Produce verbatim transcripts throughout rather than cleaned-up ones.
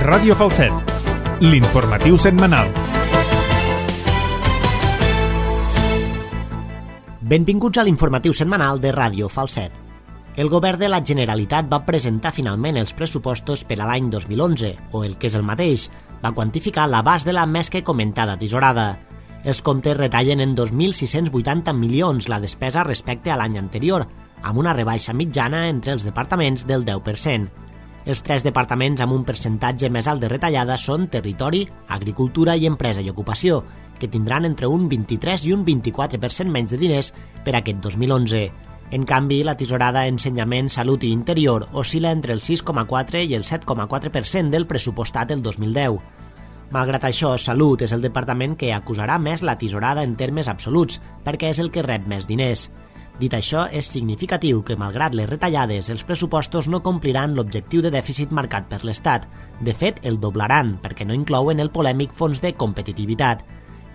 Ràdio Falset, l'informatiu setmanal. Benvinguts a l'informatiu setmanal de Ràdio Falset. El govern de la Generalitat va presentar finalment els pressupostos per a l'any dos mil onze, o el que és el mateix, va quantificar l'abast de la més que comentada tisorada. Els comptes retallen en dos mil sis-cents vuitanta milions la despesa respecte a l'any anterior, amb una rebaixa mitjana entre els departaments del deu per cent. Els tres departaments amb un percentatge més alt de retallada són Territori, Agricultura i Empresa i Ocupació, que tindran entre un vint-i-tres i un vint-i-quatre per cent menys de diners per aquest dos mil onze. En canvi, la tisorada Ensenyament, Salut i Interior oscil·la entre el sis coma quatre i el set coma quatre per cent del pressupostat el dos mil deu. Malgrat això, Salut és el departament que acusarà més la tisorada en termes absoluts, perquè és el que rep més diners. Dit això, és significatiu que, malgrat les retallades, els pressupostos no compliran l'objectiu de dèficit marcat per l'Estat. De fet, el doblaran, perquè no inclouen el polèmic fons de competitivitat.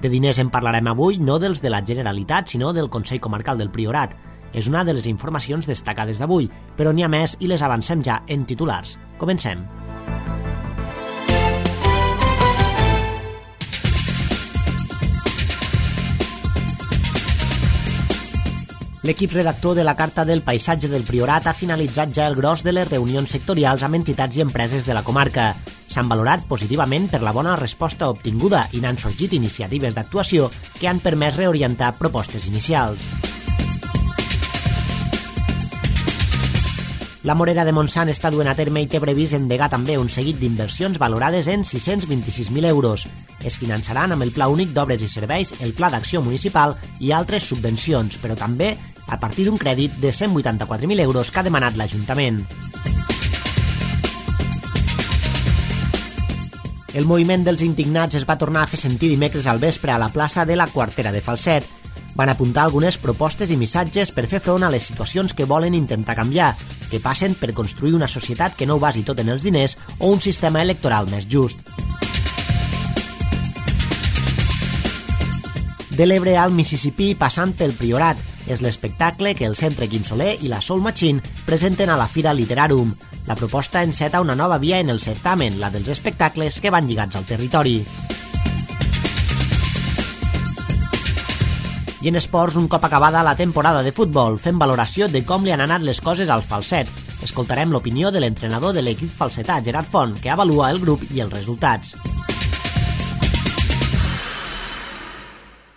De diners en parlarem avui, no dels de la Generalitat, sinó del Consell Comarcal del Priorat. És una de les informacions destacades d'avui, però n'hi ha més i les avancem ja en titulars. Comencem. L'equip redactor de la Carta del Paisatge del Priorat ha finalitzat ja el gros de les reunions sectorials amb entitats i empreses de la comarca. S'han valorat positivament per la bona resposta obtinguda i n'han sorgit iniciatives d'actuació que han permès reorientar propostes inicials. La Morera de Montsant està duent a terme i té previst endegar també un seguit d'inversions valorades en sis-cents vint-i-sis mil euros. Es finançaran amb el Pla Únic d'Obres i Serveis, el Pla d'Acció Municipal i altres subvencions, però també a partir d'un crèdit de cent vuitanta-quatre mil euros que ha demanat l'Ajuntament. El moviment dels indignats es va tornar a fer sentir dimecres al vespre a la plaça de la Quartera de Falset. Van apuntar algunes propostes i missatges per fer front a les situacions que volen intentar canviar, que passen per construir una societat que no ho basi tot en els diners o un sistema electoral més just. De l'Ebre al Mississipí passant pel Priorat és l'espectacle que el Centre Quim Soler i la Soul Machine presenten a la Fira Literarum. La proposta enceta una nova via en el certamen, la dels espectacles que van lligats al territori. I en esports, un cop acabada la temporada de futbol, fem valoració de com li han anat les coses al Falset. Escoltarem l'opinió de l'entrenador de l'equip falsetà, Gerard Font, que avalua el grup i els resultats.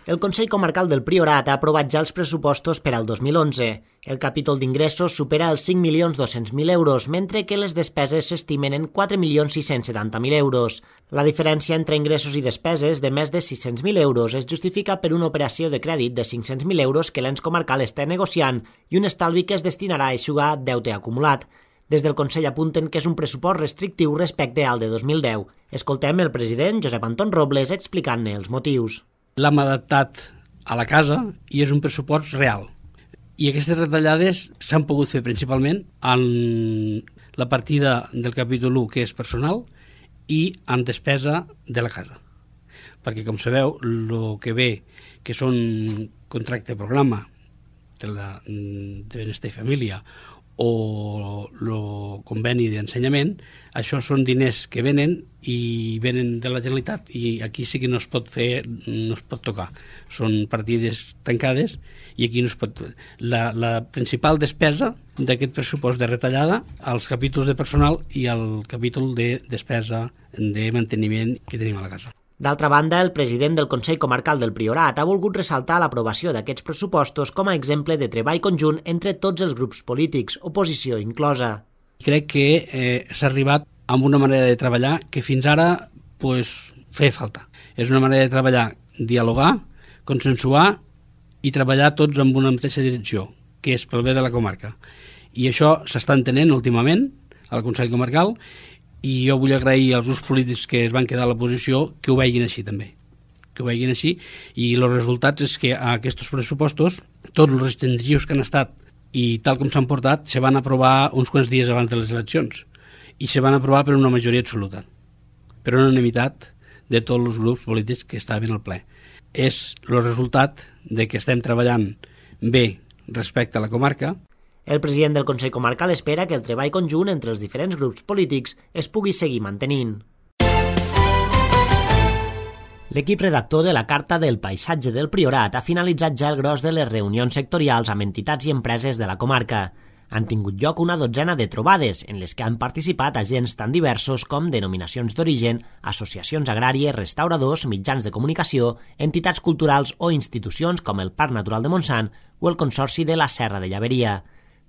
El Consell Comarcal del Priorat ha aprovat ja els pressupostos per al dos mil onze. El capítol d'ingressos supera els cinc milions dos-cents mil euros, mentre que les despeses s'estimen en quatre milions sis-cents setanta mil euros. La diferència entre ingressos i despeses de més de sis-cents mil euros es justifica per una operació de crèdit de cinc-cents mil euros que l'ens comarcal està negociant i un estalvi que es destinarà a eixugar deute acumulat. Des del Consell apunten que és un pressupost restrictiu respecte al de dos mil deu. Escoltem el president, Josep Anton Robles, explicant-ne els motius. L'hem adaptat a la casa i és un pressupost real. I aquestes retallades s'han pogut fer principalment en la partida del capítol u, que és personal, i en despesa de la casa. Perquè, com sabeu, el que ve, que són contracte programa de, la, de benestar i família o el conveni d'ensenyament, això són diners que venen i venen de la Generalitat i aquí sí que no es pot fer, no es pot tocar. Són partides tancades i aquí no es pot... La, la principal despesa d'aquest pressupost de retallada als capítols de personal i al capítol de despesa de manteniment que tenim a la casa. D'altra banda, el president del Consell Comarcal del Priorat ha volgut ressaltar l'aprovació d'aquests pressupostos com a exemple de treball conjunt entre tots els grups polítics, oposició inclosa. Crec que eh, s'ha arribat amb una manera de treballar que fins ara pues, feia falta. És una manera de treballar, dialogar, consensuar i treballar tots en una mateixa direcció, que és pel bé de la comarca. I això s'està entenent últimament al Consell Comarcal i jo vull agrair als grups polítics que es van quedar a l'oposició que ho vegin així també, que ho vegin així i els resultats és que a aquests pressupostos tots els restrictius que han estat i tal com s'han portat se van aprovar uns quants dies abans de les eleccions i se van aprovar per una majoria absoluta, per una unanimitat de tots els grups polítics que estaven al ple. És el resultat de que estem treballant bé respecte a la comarca. El president del Consell Comarcal espera que el treball conjunt entre els diferents grups polítics es pugui seguir mantenint. L'equip redactor de la Carta del Paisatge del Priorat ha finalitzat ja el gros de les reunions sectorials amb entitats i empreses de la comarca. Han tingut lloc una dotzena de trobades, en les que han participat agents tan diversos com denominacions d'origen, associacions agràries, restauradors, mitjans de comunicació, entitats culturals o institucions com el Parc Natural de Montsant o el Consorci de la Serra de Llaveria.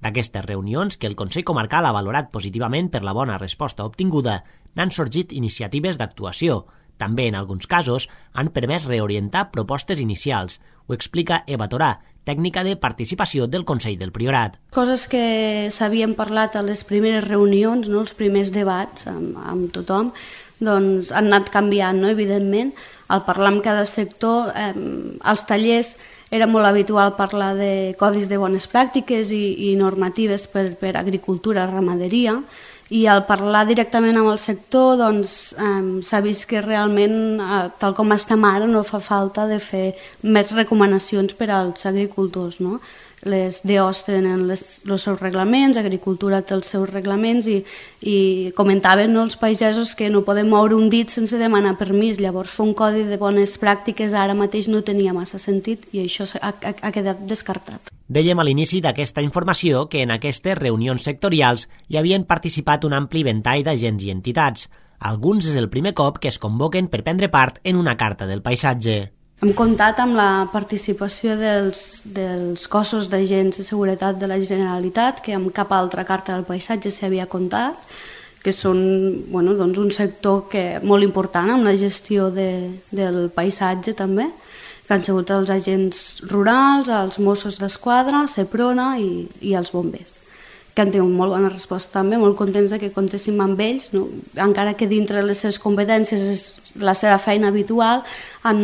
D'aquestes reunions, que el Consell Comarcal ha valorat positivament per la bona resposta obtinguda, n'han sorgit iniciatives d'actuació. També, en alguns casos, han permès reorientar propostes inicials. Ho explica Eva Torà, tècnica de participació del Consell del Priorat. Coses que s'havien parlat a les primeres reunions, no? Els primers debats amb, amb tothom, doncs han anat canviant, no? Evidentment. Al parlar amb cada sector, eh, als tallers era molt habitual parlar de codis de bones pràctiques i, i normatives per, per agricultura, ramaderia, i al parlar directament amb el sector doncs, eh, s'ha vist que realment, eh, tal com estem ara, no fa falta de fer més recomanacions per als agricultors, no? Les D Os tenen les, els seus reglaments, agricultura té els seus reglaments i, i comentaven, no, els pagesos que no podem moure un dit sense demanar permís, llavors fer un codi de bones pràctiques ara mateix no tenia massa sentit i això ha, ha, ha quedat descartat. Dèiem a l'inici d'aquesta informació que en aquestes reunions sectorials hi havien participat un ampli ventall d'agents i entitats. Alguns és el primer cop que es convoquen per prendre part en una carta del paisatge. Hem comptat amb la participació dels, dels cossos d'agents de seguretat de la Generalitat, que amb cap altra carta del paisatge s'havia comptat, que són bueno, doncs un sector que, molt important amb la gestió de, del paisatge també, que han sigut els agents rurals, els Mossos d'Esquadra, Seprona i, i els bombers, que han tingut molt bona resposta també, molt contents que comptéssim amb ells, no? Encara que dintre les seves competències és la seva feina habitual, han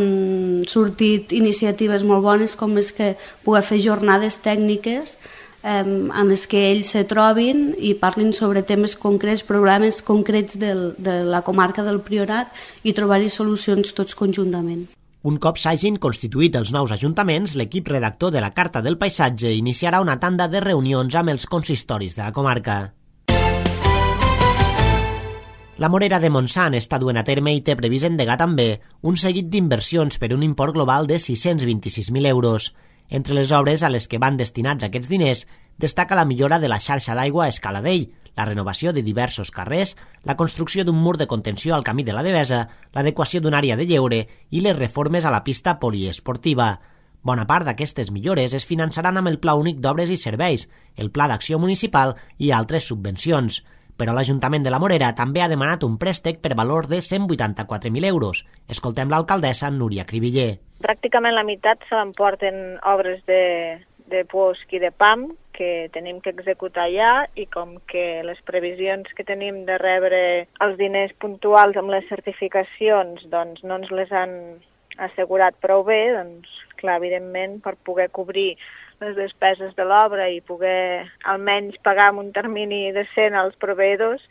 sortit iniciatives molt bones com és que poder fer jornades tècniques eh, en les que ells se trobin i parlin sobre temes concrets, problemes concrets del, de la comarca del Priorat i trobar-hi solucions tots conjuntament. Un cop s'hagin constituït els nous ajuntaments, l'equip redactor de la Carta del Paisatge iniciarà una tanda de reunions amb els consistoris de la comarca. La Morera de Montsant està duent a terme i té previst endegar també un seguit d'inversions per un import global de sis-cents vint-i-sis mil euros. Entre les obres a les que van destinats aquests diners destaca la millora de la xarxa d'aigua a Escaladell, la renovació de diversos carrers, la construcció d'un mur de contenció al camí de la Devesa, l'adequació d'una àrea de lleure i les reformes a la pista poliesportiva. Bona part d'aquestes millores es finançaran amb el Pla Únic d'Obres i Serveis, el Pla d'Acció Municipal i altres subvencions. Però l'Ajuntament de la Morera també ha demanat un préstec per valor de cent vuitanta-quatre mil euros. Escoltem l'alcaldessa Núria Cribiller. Pràcticament la meitat se l'emporten obres de, de Puosc i de P A M, que tenim que executar ja, i com que les previsions que tenim de rebre els diners puntuals amb les certificacions doncs no ens les han assegurat prou bé, doncs clar, evidentment, per poder cobrir les despeses de l'obra i poder almenys pagar en un termini decent als proveïdors,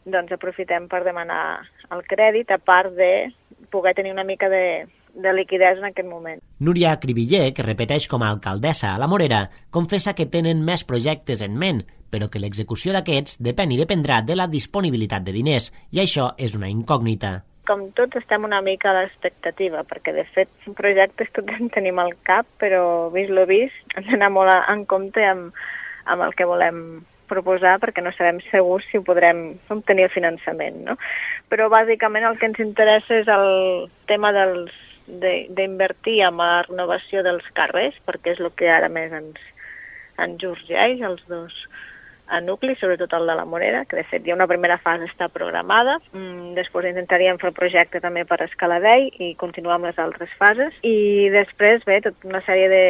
doncs aprofitem per demanar el crèdit, a part de poder tenir una mica de, de liquiditat en aquest moment. Núria Cribiller, que repeteix com a alcaldessa a la Morera, confessa que tenen més projectes en ment, però que l'execució d'aquests depèn i dependrà de la disponibilitat de diners, i això és una incògnita. Com tots estem una mica a l'expectativa, perquè de fet projectes tots en tenim al cap, però vist lo vist, hem d'anar molt en compte amb, amb el que volem proposar perquè no sabem segurs si ho podrem obtenir el finançament, no? Però bàsicament el que ens interessa és el tema dels d'invertir en la renovació dels carrers, perquè és el que ara més ens, ens urgeix, els dos a nucli, sobretot el de la Morera, que de fet ja una primera fase està programada. Mm, després intentaríem fer el projecte també per Escaladell i continuar amb les altres fases. I després, bé, tota una sèrie de,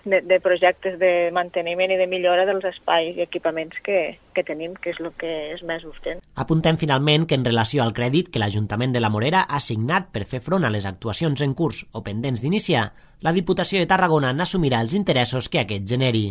de, de projectes de manteniment i de millora dels espais i equipaments que, que tenim, que és el que és més urgent. Apuntem finalment que en relació al crèdit que l'Ajuntament de la Morera ha assignat per fer front a les actuacions en curs o pendents d'iniciar, la Diputació de Tarragona n'assumirà els interessos que aquest generi.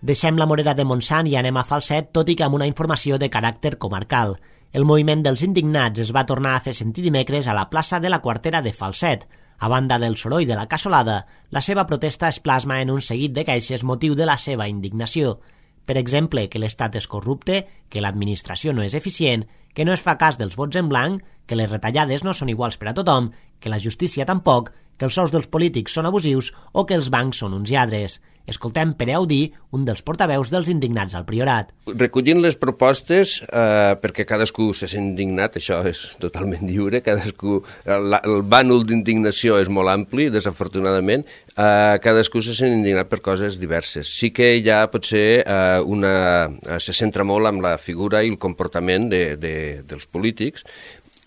Deixem la Morera de Montsant i anem a Falset, tot i que amb una informació de caràcter comarcal. El moviment dels indignats es va tornar a fer sentir dimecres a la plaça de la Quartera de Falset. A banda del soroll de la cassolada, la seva protesta es plasma en un seguit de queixes motiu de la seva indignació. Per exemple, que l'Estat és corrupte, que l'administració no és eficient, que no es fa cas dels vots en blanc, que les retallades no són iguals per a tothom, que la justícia tampoc, que els sous dels polítics són abusius o que els bancs són uns lladres. Escoltem Pere Audí, un dels portaveus dels indignats al Priorat. Recollint les propostes, eh, perquè cadascú se sent indignat, això és totalment lliure, cadascú, el, el bànol d'indignació és molt ampli, desafortunadament, eh, cadascú se sent indignat per coses diverses. Sí que ja potser eh, una, se centra molt en la figura i el comportament de, de, dels polítics,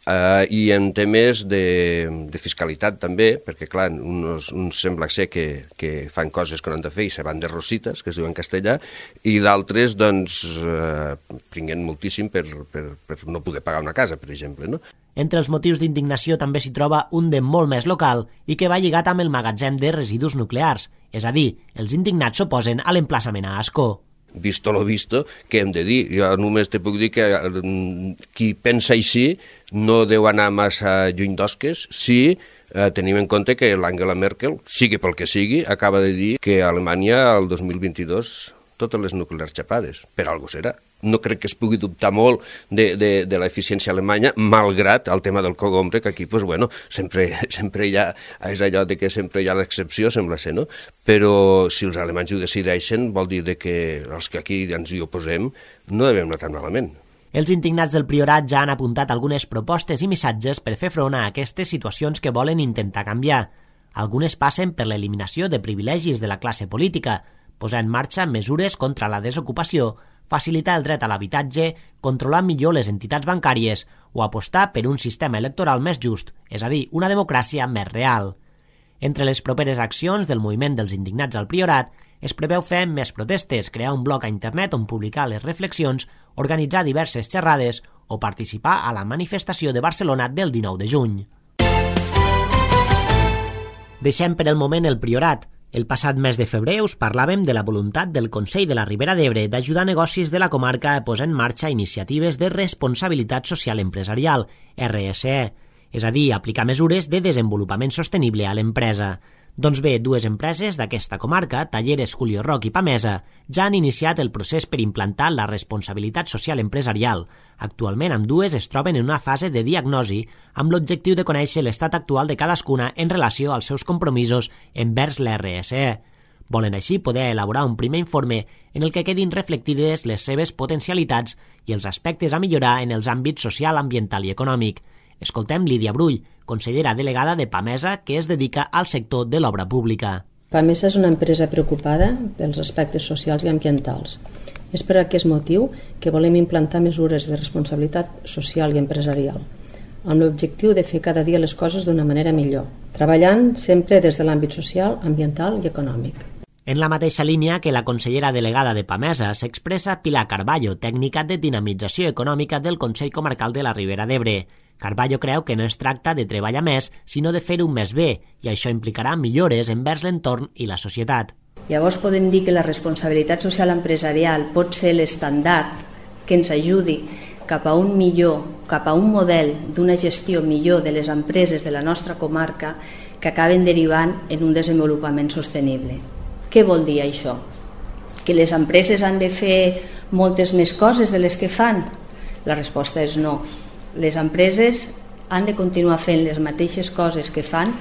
Uh, i en temes de, de fiscalitat també, perquè clar, uns, uns sembla ser que, que fan coses que no han de fer i se van de rositas, que es diu en castellà, i d'altres doncs uh, pringuen moltíssim per, per, per no poder pagar una casa, per exemple, no? Entre els motius d'indignació també s'hi troba un de molt més local i que va lligat amb el magatzem de residus nuclears, és a dir, els indignats s'oposen a l'emplaçament a Ascó. Visto lo visto, què hem de dir? Jo només te puc dir que qui pensa així no deu anar massa lluny d'osques si eh, tenim en compte que l'Angela Merkel, sigui pel que sigui, acaba de dir que a Alemanya el dos mil vint-i-dos totes les nuclears xapades. Per algo serà. No crec que es pugui dubtar molt de, de, de l'eficiència alemanya, malgrat el tema del cogombre, que aquí, pues, bueno, sempre, sempre hi ha, és allò de que sempre hi ha l'excepció, sembla ser, no? Però si els alemanys ho decideixen, vol dir de que els que aquí ens hi oposem no devem anar tan malament. Els indignats del Priorat ja han apuntat algunes propostes i missatges per fer front a aquestes situacions que volen intentar canviar. Algunes passen per l'eliminació de privilegis de la classe política, posar en marxa mesures contra la desocupació, facilitar el dret a l'habitatge, controlar millor les entitats bancàries o apostar per un sistema electoral més just, és a dir, una democràcia més real. Entre les properes accions del moviment dels indignats al Priorat es preveu fer més protestes, crear un blog a internet on publicar les reflexions, organitzar diverses xerrades o participar a la manifestació de Barcelona del dinou de juny. Deixem per el moment el Priorat. El passat mes de febrer us parlàvem de la voluntat del Consell de la Ribera d'Ebre d'ajudar negocis de la comarca a posar en marxa iniciatives de responsabilitat social empresarial, R S E, és a dir, aplicar mesures de desenvolupament sostenible a l'empresa. Doncs bé, dues empreses d'aquesta comarca, Talleres Julio Roch i Pamesa, ja han iniciat el procés per implantar la responsabilitat social empresarial. Actualment, ambdues es troben en una fase de diagnosi amb l'objectiu de conèixer l'estat actual de cadascuna en relació als seus compromisos envers l'R S E. Volen així poder elaborar un primer informe en el que quedin reflectides les seves potencialitats i els aspectes a millorar en els àmbits social, ambiental i econòmic. Escoltem Lídia Brull, consellera delegada de Pamesa, que es dedica al sector de l'obra pública. Pamesa és una empresa preocupada pels aspectes socials i ambientals. És per aquest motiu que volem implantar mesures de responsabilitat social i empresarial, amb l'objectiu de fer cada dia les coses d'una manera millor, treballant sempre des de l'àmbit social, ambiental i econòmic. En la mateixa línia que la consellera delegada de Pamesa s'expressa Pilar Carballo, tècnica de dinamització econòmica del Consell Comarcal de la Ribera d'Ebre. Carballo creu que no es tracta de treballar més, sinó de fer-ho més bé, i això implicarà millores envers l'entorn i la societat. Llavors podem dir que la responsabilitat social empresarial pot ser l'estàndard que ens ajudi cap a un millor, cap a un model d'una gestió millor de les empreses de la nostra comarca que acaben derivant en un desenvolupament sostenible. Què vol dir això? Que les empreses han de fer moltes més coses de les que fan? La resposta és no. Les empreses han de continuar fent les mateixes coses que fan,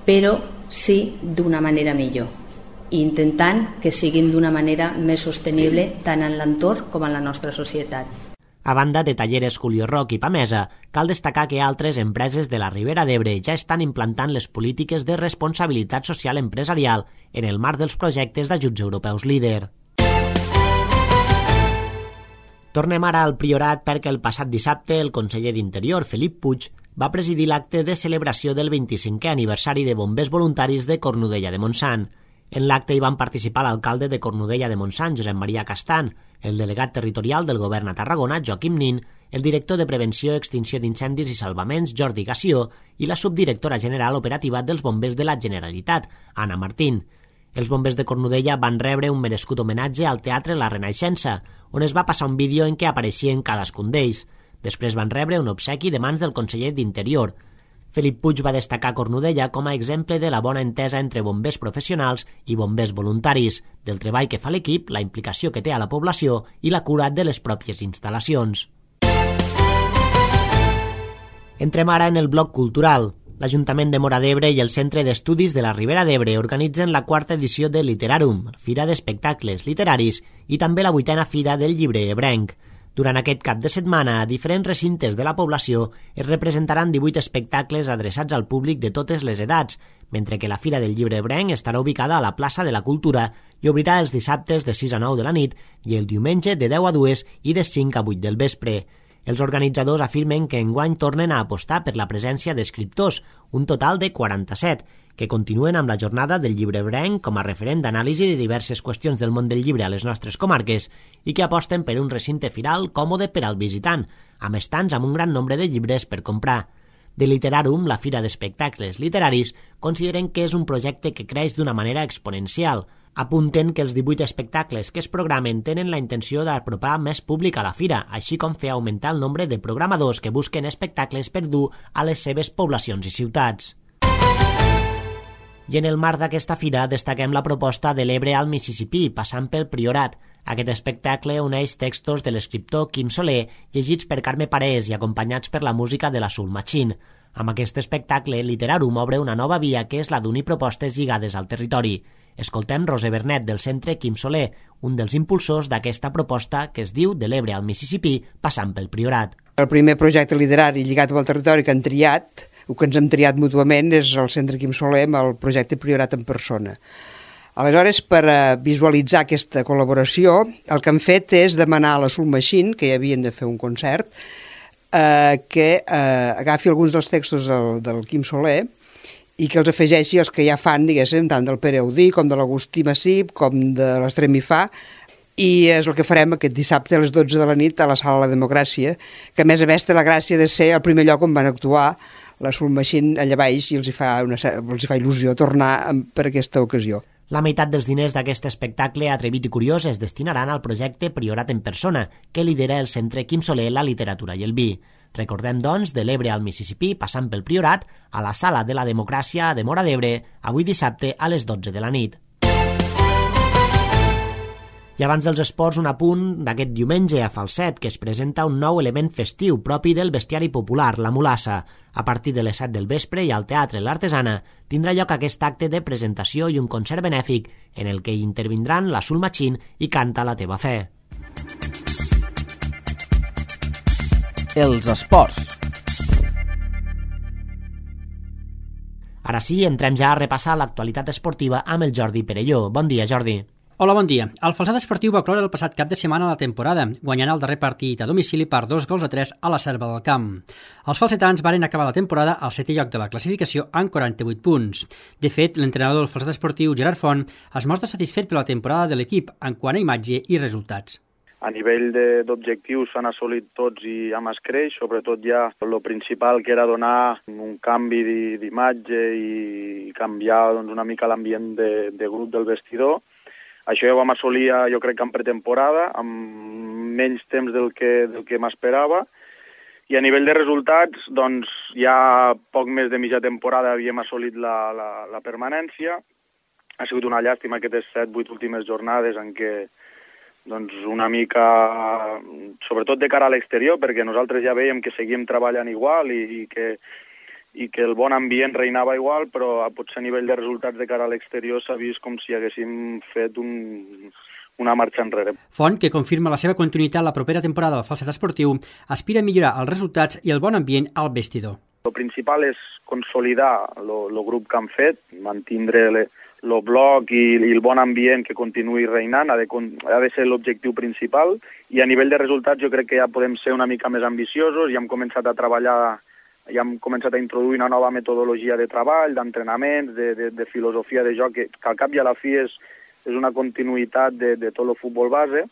però sí d'una manera millor, i intentant que siguin d'una manera més sostenible tant en l'entorn com en la nostra societat. A banda de Talleres Julio Roch i Pamesa, cal destacar que altres empreses de la Ribera d'Ebre ja estan implantant les polítiques de responsabilitat social empresarial en el marc dels projectes d'ajuts europeus líder. Tornem ara al Priorat perquè el passat dissabte el conseller d'Interior, Felip Puig, va presidir l'acte de celebració del vint-i-cinquè aniversari de bombers voluntaris de Cornudella de Montsant. En l'acte hi van participar l'alcalde de Cornudella de Montsant, Josep Maria Castan, el delegat territorial del govern a Tarragona, Joaquim Nin, el director de Prevenció, Extinció d'Incendis i Salvaments, Jordi Gassió, i la subdirectora general operativa dels bombers de la Generalitat, Anna Martín. Els bombers de Cornudella van rebre un merescut homenatge al Teatre La Renaixença, on es va passar un vídeo en què apareixien cadascun d'ells. Després van rebre un obsequi de mans del conseller d'Interior. Felip Puig va destacar Cornudella com a exemple de la bona entesa entre bombers professionals i bombers voluntaris, del treball que fa l'equip, la implicació que té a la població i la cura de les pròpies instal·lacions. Entrem ara en el bloc cultural. L'Ajuntament de Móra d'Ebre i el Centre d'Estudis de la Ribera d'Ebre organitzen la quarta edició de Literarum, Fira d'Espectacles Literaris, i també la vuitena Fira del Llibre Ebrenc. Durant aquest cap de setmana, a diferents recintes de la població es representaran divuit espectacles adreçats al públic de totes les edats, mentre que la Fira del Llibre Ebrenc estarà ubicada a la plaça de la Cultura i obrirà els dissabtes de sis a nou de la nit i el diumenge de deu a dues i de cinc a vuit del vespre. Els organitzadors afirmen que enguany tornen a apostar per la presència d'escriptors, un total de quaranta-set, que continuen amb la jornada del llibre ebrenc com a referent d'anàlisi de diverses qüestions del món del llibre a les nostres comarques i que aposten per un recinte firal còmode per al visitant, amb estants amb un gran nombre de llibres per comprar. De Literarum, la Fira d'Espectacles Literaris, consideren que és un projecte que creix d'una manera exponencial. Apunten que els divuit espectacles que es programen tenen la intenció d'apropar més públic a la fira, així com fer augmentar el nombre de programadors que busquen espectacles per dur a les seves poblacions i ciutats. I en el marc d'aquesta fira destaquem la proposta de l'Ebre al Mississipí, passant pel Priorat. Aquest espectacle uneix textos de l'escriptor Quim Soler, llegits per Carme Parés i acompanyats per la música de la Soul Machine. Amb aquest espectacle, Literarum obre una nova via que és la d'unir propostes lligades al territori. Escoltem Roser Bernet, del Centre Quim Soler, un dels impulsors d'aquesta proposta que es diu De l'Ebre al Mississipí, passant pel Priorat. El primer projecte literari lligat al territori que han triat, o que ens hem triat mútuament, és el Centre Quim Soler amb el projecte Priorat en persona. Aleshores, per visualitzar aquesta col·laboració, el que han fet és demanar a la Soul Machine, que ja havien de fer un concert, eh, que eh, agafi alguns dels textos del, del Quim Soler i que els afegeixi els que ja fan, diguéssim, tant del Pere Audí com de l'Agustí Massip com de l'Estrem Ifà, i és el que farem aquest dissabte a les dotze de la nit a la Sala de la Democràcia, que a més a més té la gràcia de ser el primer lloc on van actuar la Soul Machine allà baix i els hi fa, una, els hi fa il·lusió tornar per aquesta ocasió. La meitat dels diners d'aquest espectacle atrevit i curiós es destinaran al projecte Priorat en persona, que lidera el Centre Quim Soler, la literatura i el vi. Recordem, doncs, de l'Ebre al Mississipí, passant pel Priorat, a la Sala de la Democràcia de Móra d'Ebre, avui dissabte a les dotze de la nit. I abans dels esports, un apunt d'aquest diumenge a Falset, que es presenta un nou element festiu propi del bestiari popular, la mulassa. A partir de les set del vespre i al Teatre L'Artesana tindrà lloc aquest acte de presentació i un concert benèfic en el que intervindran la Soul Machine i Canta la teva fe. Els esports. Ara sí, entrem ja a repassar l'actualitat esportiva amb el Jordi Perelló. Bon dia, Jordi. Hola, bon dia. El Falset Esportiu va cloure el passat cap de setmana la temporada, guanyant el darrer partit a domicili per dos gols a tres a la Selva del Camp. Els falsetans varen acabar la temporada al setè lloc de la classificació amb quaranta-vuit punts. De fet, l'entrenador del Falset Esportiu, Gerard Font, es mostra satisfet per la temporada de l'equip en quant a imatge i resultats. A nivell d'objectius s'han assolit tots i amb escreix, sobretot ja el principal que era donar un canvi d'imatge i canviar doncs, una mica l'ambient de, de grup del vestidor. Això ja ho vam assolir, jo crec que en pretemporada, amb menys temps del que, del que m'esperava. I a nivell de resultats, doncs, ja poc més de mitja temporada havíem assolit la, la, la permanència. Ha sigut una llàstima aquestes set, vuit últimes jornades en què doncs, una mica, sobretot de cara a l'exterior, perquè nosaltres ja veiem que seguim treballant igual i, i que i que el bon ambient reinava igual, però potser a nivell de resultats de cara a l'exterior s'ha vist com si haguéssim fet un, una marxa enrere. Font, que confirma la seva continuïtat la propera temporada del Falset Esportiu, aspira a millorar els resultats i el bon ambient al vestidor. El principal és consolidar el grup que han fet, mantindre el bloc i, i el bon ambient que continuï reinant, ha de, ha de ser l'objectiu principal, i a nivell de resultats jo crec que ja podem ser una mica més ambiciosos, ja hem començat a treballar ja hem començat a introduir una nova metodologia de treball, d'entrenaments, de, de, de filosofia de joc, que, que al cap i a la fi és, és una continuïtat de, de tot el futbol base.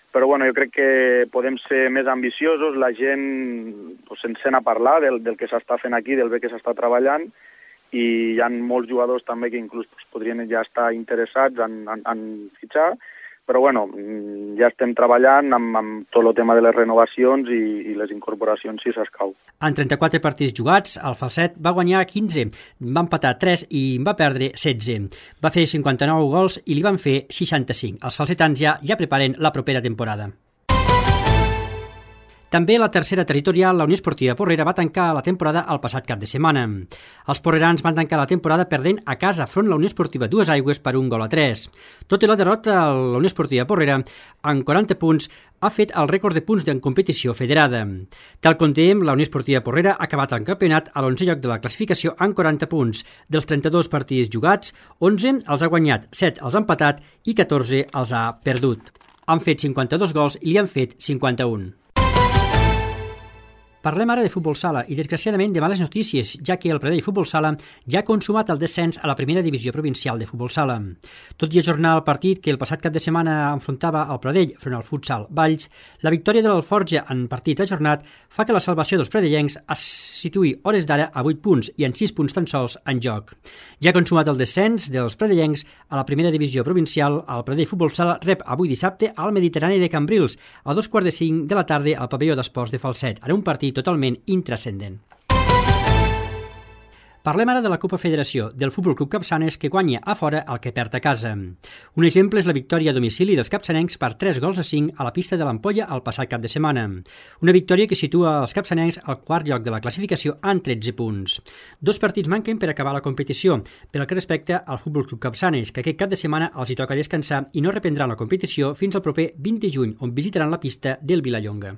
Però bueno, jo crec que podem ser més ambiciosos, la gent pues, se'n sent a parlar del, del que s'està fent aquí, del bé que s'està treballant, i hi ha molts jugadors també que inclús pues, podrien ja estar interessats en, en, en fitxar. però bueno, ja estem treballant amb, amb tot el tema de les renovacions i, i les incorporacions si s'escau. En trenta-quatre partits jugats, el Falset va guanyar quinze, va empatar tres i va perdre setze. Va fer cinquanta-nou gols i li van fer seixanta-cinc. Els falsetans ja ja preparen la propera temporada. També la tercera territorial, la Unió Esportiva Porrera, va tancar la temporada el passat cap de setmana. Els porrerans van tancar la temporada perdent a casa front la Unió Esportiva Dues Aigües per un gol a tres. Tot i la derrota, la Unió Esportiva Porrera, amb quaranta punts, ha fet el rècord de punts en competició federada. Tal com dèiem, la Unió Esportiva Porrera ha acabat el campionat a l'onzè lloc de la classificació amb quaranta punts. Dels trenta-dos partits jugats, onze els ha guanyat, set els ha empatat i catorze els ha perdut. Han fet cinquanta-dos gols i li han fet cinquanta-un. Parlem ara de futbol sala i, desgraciadament, de males notícies, ja que el Pradell Futbol Sala ja ha consumat el descens a la primera divisió provincial de futbol sala. Tot i ajornar el partit que el passat cap de setmana enfrontava el Pradell front al futsal Valls, la victòria de l'Alforja en partit ajornat fa que la salvació dels pradellencs es situï hores d'ara a vuit punts i en sis punts tan sols en joc. Ja ha consumat el descens dels pradellencs a la primera divisió provincial, el Pradell Futbol Sala rep avui dissabte al Mediterrani de Cambrils a dos quarts de cinc de la tarda al pavelló d'esports de Falset, en un partit totalment intrascendent. Parlem ara de la Copa Federació del Futbol Club Capçanes, que guanya a fora el que perd a casa. Un exemple és la victòria a domicili dels capçanencs per tres gols a cinc a la pista de l'Ampolla el passat cap de setmana. Una victòria que situa els capçanencs al quart lloc de la classificació amb tretze punts. Dos partits manquen per acabar la competició, pel que respecta al Futbol Club Capçanes, que aquest cap de setmana els hi toca descansar i no reprendran la competició fins al proper vint de juny, on visitaran la pista del Vilallonga.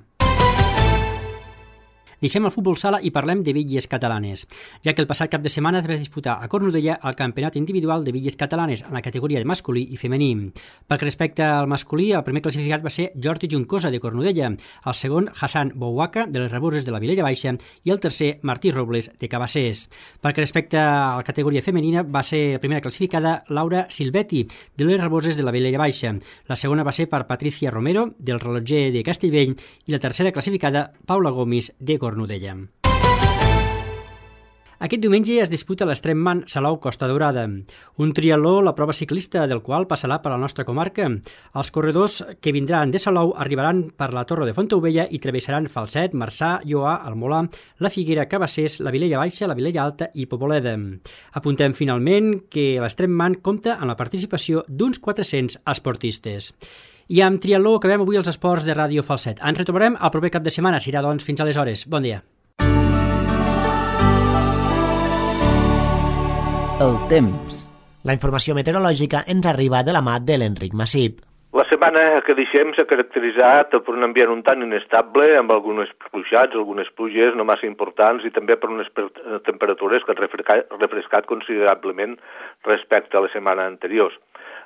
Deixem el futbol sala i parlem de bitlles catalanes, ja que el passat cap de setmana es va disputar a Cornudella el campionat individual de bitlles catalanes en la categoria de masculí i femení. Pel que respecta al masculí, el primer classificat va ser Jordi Juncosa de Cornudella, el segon Hassan Bouaka de les Raboses de la Vilella Baixa i el tercer Martí Robles de Cabassers. Pel que respecta a la categoria femenina va ser la primera classificada Laura Silvetti de les Raboses de la Vilella Baixa, la segona va ser per Patricia Romero del Reloger de Castellvell i la tercera classificada Paula Gomis de Cornudella. Cornudella. Aquest diumenge es disputa l'Extremman Salou Costa Daurada, un triatló, la prova ciclista del qual passarà per la nostra comarca. Els corredors que vindran de Salou arribaran per la Torre de Fontaubella i travessaran Falset, Marçà, Lloà, el Molar, la Figuera, Cabassers, la Vilella Baixa, la Vilella Alta i Poboleda. Apuntem finalment que l'Extremman compta amb la participació d'uns quatre-cents esportistes. I amb triatló acabem avui els esports de Ràdio Falset. Ens retrobarem el proper cap de setmana. Serà, doncs, fins aleshores. Bon dia. El temps. La informació meteorològica ens arriba de la mà de l'Enric Massip. La setmana que deixem s'ha caracteritzat per un ambient un tant inestable, amb algunes ruixats, algunes pluges no massa importants i també per unes temperatures que han refrescat, refrescat considerablement respecte a la setmana anterior.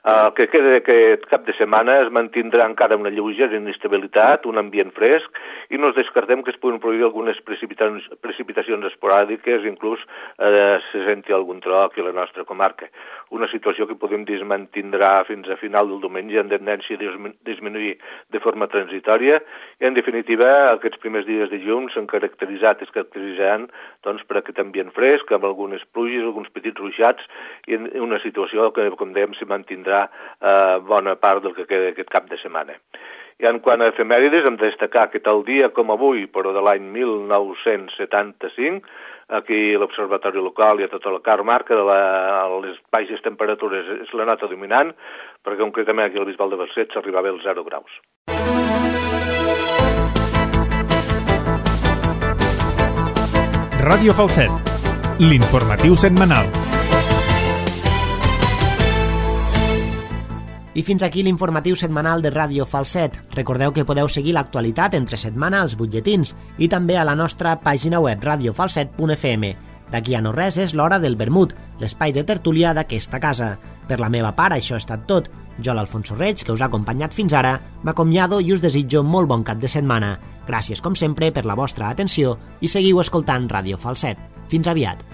El que queda d'aquest cap de setmana es mantindrà encara una lleugera inestabilitat, un ambient fresc, i no es descartem que es puguin produir algunes precipitacions, precipitacions esporàdiques, inclús eh, se senti algun tro aquí a la nostra comarca. Una situació que podem dir es mantindrà fins a final del diumenge en tendència a disminuir de forma transitòria i, en definitiva, aquests primers dies de juny s'han caracteritzat, es caracteritzaran doncs, per aquest ambient fresc, amb algunes pluges, alguns petits ruixats i una situació que, com dèiem, se mantindrà Eh, bona part del que queda aquest cap de setmana. I en quant a efemèrides, hem de destacar que tal dia com avui, però de l'any mil nou-cents setanta-cinc, aquí a l'Observatori Local i a tota la comarca de la, les baixes temperatures és la nota dominant, perquè concretament aquí al Bisbal de Falset s'arribava als zero graus. Ràdio Falset, l'informatiu setmanal. I fins aquí l'informatiu setmanal de Ràdio Falset. Recordeu que podeu seguir l'actualitat entre setmana als butlletins i també a la nostra pàgina web radio falset punt f m. D'aquí a no res és l'hora del vermut, l'espai de tertúlia d'aquesta casa. Per la meva part, això ha estat tot. Jo, l'Alfonso Reig, que us ha acompanyat fins ara, m'acomiado i us desitjo molt bon cap de setmana. Gràcies, com sempre, per la vostra atenció i seguiu escoltant Ràdio Falset. Fins aviat.